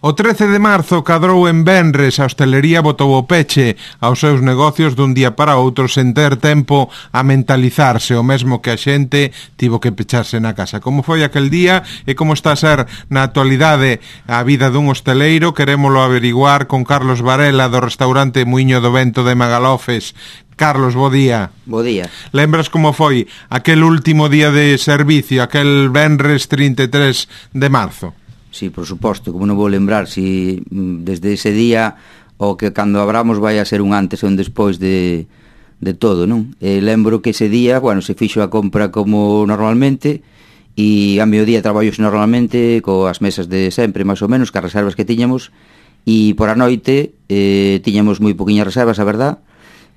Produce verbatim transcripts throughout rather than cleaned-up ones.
O trece de marzo cadrou en venres, a hostelería botou o peche aos seus negocios dun día para outro sen ter tempo a mentalizarse, o mesmo que a xente tivo que pecharse na casa. Como foi aquel día e como está a ser na actualidade a vida dun hosteleiro, querémolo averiguar con Carlos Varela do restaurante Muiño do Vento de Magalofes. Carlos, bo día. Bo día. Lembras como foi aquel último día de servicio, aquel venres trinta e tres de marzo? Sí, por suposto, como non vou lembrar, si desde ese día o que cando abramos vai a ser un antes e un despois de, de todo, non? E lembro que ese día, bueno, se fixo a compra como normalmente e a mediodía traballos normalmente coas mesas de sempre, máis ou menos, cas reservas que tiñamos, e por a noite eh, tiñamos moi poquinhas reservas, a verdad,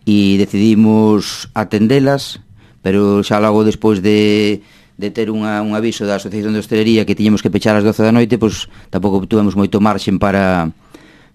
e decidimos atendelas, pero xa logo despois de de ter unha, un aviso da Asociación de Hostelería que tiñamos que pechar ás doce da noite, pois tampouco tuvemos moito marxen para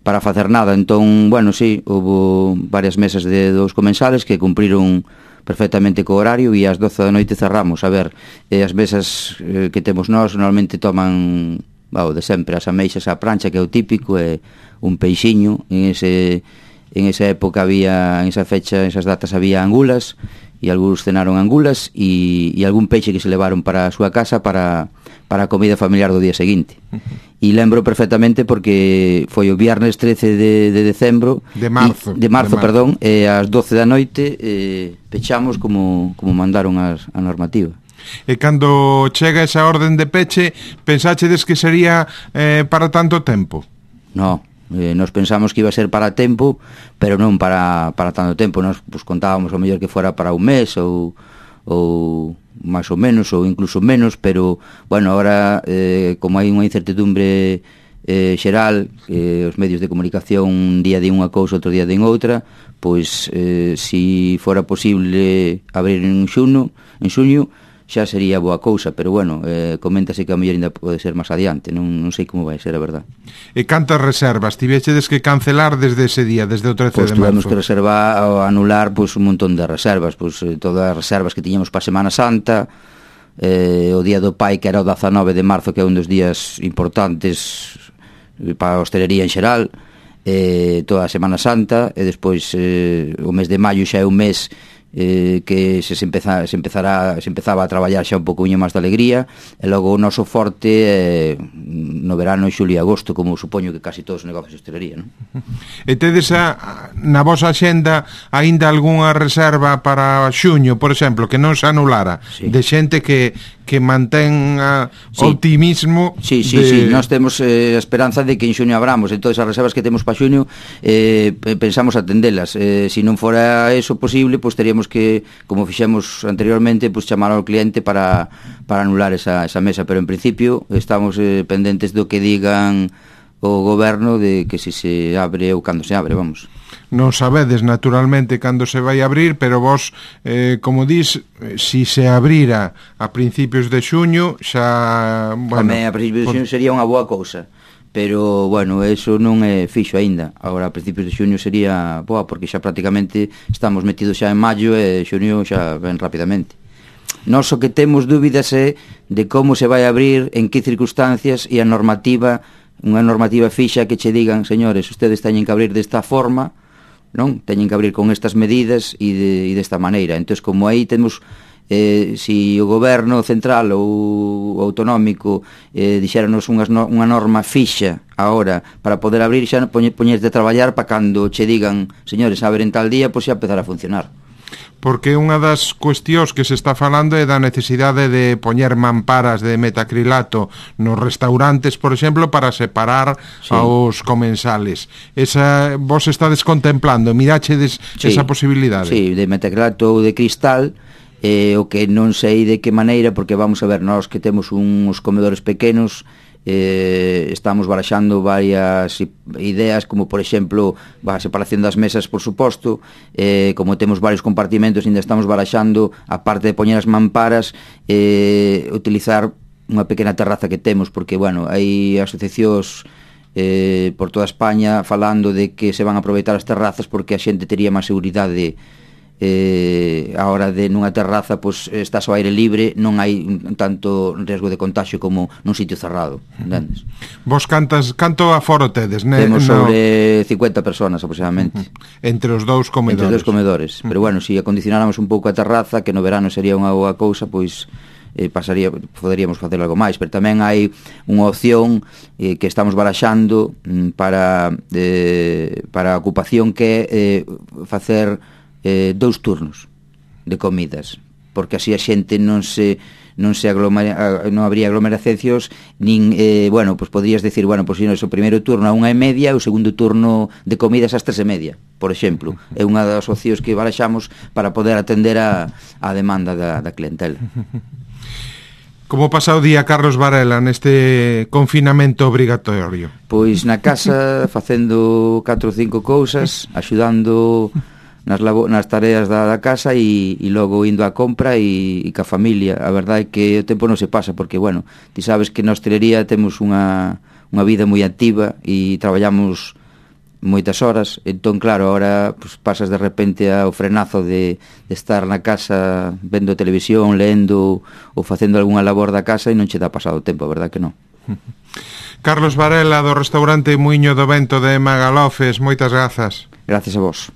para facer nada. Entón, bueno, sí, houve varias mesas de dos comensales que cumpriron perfectamente co horario e ás doce da noite cerramos. A ver, eh, as mesas eh, que temos nós normalmente toman, wow, de sempre, as ameixas á prancha, que é o típico, e un peixiño. En ese en esa época había, en esa fecha, en esas datas había angulas, e algúns cenaron angulas e, e algún peixe que se levaron para a súa casa para, para a comida familiar do día seguinte. Uh-huh. E lembro perfectamente porque foi o viernes trece de, de decembro de marzo, e, de marzo, de marzo. perdón, e ás doce da noite eh, pechamos como, como mandaron as, a normativa. E cando chega esa orden de peche, pensáchedes que sería eh, para tanto tempo? No, Eh, nos pensamos que iba a ser para tempo, pero non para, para tanto tempo. Nos pues, contábamos o mellor que fora para un mes ou, ou máis ou menos, ou incluso menos, pero bueno, ahora eh, como hai unha incertidumbre eh, xeral, eh, os medios de comunicación un día din unha cousa, outro día din outra, pois eh, si fora posible abrir en xuno, en xuño, xa sería boa cousa, pero bueno, eh, coméntase que a mellor ainda pode ser máis adiante, non, non sei como vai ser, a verdad. E cantas reservas tivechedes que cancelar desde ese día, desde o trece pues de marzo? Pois tuvemos que reservar ou anular pois, un montón de reservas, pois, eh, todas as reservas que tiñamos para a Semana Santa, eh, o Día do Pai, que era o dezanove de marzo, que é un dos días importantes para a hostelería en xeral, eh, toda a Semana Santa, e despois eh, o mes de maio xa é un mes eh, que se, se, empeza, se, empezará, se empezaba a traballar xa un pouco máis de alegría, e logo o noso forte eh, no verano, xulio e agosto, como supoño que casi todos os negocios de hostelería, non? E tedes a, na vosa xenda aínda algunha reserva para xuño, por exemplo, que non se anulara, sí, de xente que, que mantén a, sí, optimismo? Sí, sí, de... sí, nós temos eh, a esperanza de que en xuño abramos, e todas as reservas que temos para xuño eh, pensamos atendelas. Eh, se non fora eso posible, pois teríamos que, como fixemos anteriormente, pues chamar ao cliente para, para anular esa, esa mesa, pero en principio estamos eh, pendentes do que digan o goberno de que si se abre ou cando se abre, vamos. Non sabedes naturalmente cando se vai abrir, pero vos, eh, como dis, si se abrira a principios de xuño, xa... Bueno, Tamén a principios de xuño sería unha boa cousa, pero, bueno, eso non é fixo aínda. Agora, a principios de xuño sería boa, porque xa prácticamente estamos metidos xa en maio e xuño xa ven rapidamente. Nós o que temos dúbidas é de como se vai abrir, en que circunstancias, e a normativa, unha normativa fixa que che digan, señores, ustedes teñen que abrir desta forma, non? Teñen que abrir con estas medidas e, de, e desta maneira. Entón, como aí temos... Eh, si o goberno central ou autonómico eh, dixéranos unhas no, unha norma fixa agora para poder abrir, xa poñer, poñerte a traballar para cando che digan, señores, abren tal día, pois xa empezar a funcionar. Porque unha das cuestións que se está falando é da necesidade de poñer mamparas de metacrilato nos restaurantes, por exemplo, para separar, sí, aos comensales. Esa, vos estades contemplando, mirachedes, sí, esa posibilidade? Sí, de metacrilato ou de cristal. Eh, o que non sei de que maneira, porque vamos a ver, nós que temos uns comedores pequenos, eh, estamos baraxando varias ideas, como por exemplo a separación das mesas, por suposto, eh, como temos varios compartimentos, ainda estamos baraxando, a parte de poñer as mamparas, eh, utilizar unha pequena terraza que temos, porque, bueno, hai asociacións eh, por toda España falando de que se van a aproveitar as terrazas porque a xente tería máis seguridade eh, a hora de nunha terraza pois estás ao aire libre, non hai tanto risco de contagio como nun sitio cerrado, entendes? Vos cantas, canto aforo tedes, ne? Temos no... sobre cincuenta personas aproximadamente. Uh-huh. Entre os dous comedores. Entre os dous comedores, uh-huh. Pero bueno, se si acondicionáramos un pouco a terraza, que no verano sería unha boa cousa, pois eh, pasaría, poderíamos facer algo máis, pero tamén hai unha opción eh, que estamos baraxando mm, para eh, para a ocupación, que é eh, facer eh, dous turnos de comidas, porque así a xente non se non se aglomera, non habría aglomeracións, nin, eh, bueno, pues podrías decir, bueno, pues si non, o primeiro turno a unha e media, o segundo turno de comidas ás tres e media, por exemplo. É unha das opcións que baraxamos para poder atender a, a demanda da, da clientela. Como pasa o día Carlos Varela neste confinamento obrigatorio? Pois na casa facendo catro ou cinco cousas, axudando nas, labo, nas tareas da, da casa e, e logo indo á compra e, e ca familia. A verdade é que o tempo non se pasa porque, bueno, ti sabes que na hostelería temos unha, unha vida moi activa e traballamos moitas horas, entón claro, ahora pues, pasas de repente ao frenazo de, de estar na casa vendo televisión, leendo ou facendo algunha labor da casa e non che dá pasado o tempo, a verdade que non. Carlos Varela, do restaurante Muiño do Vento de Magalofes, moitas grazas. Gracias a vos.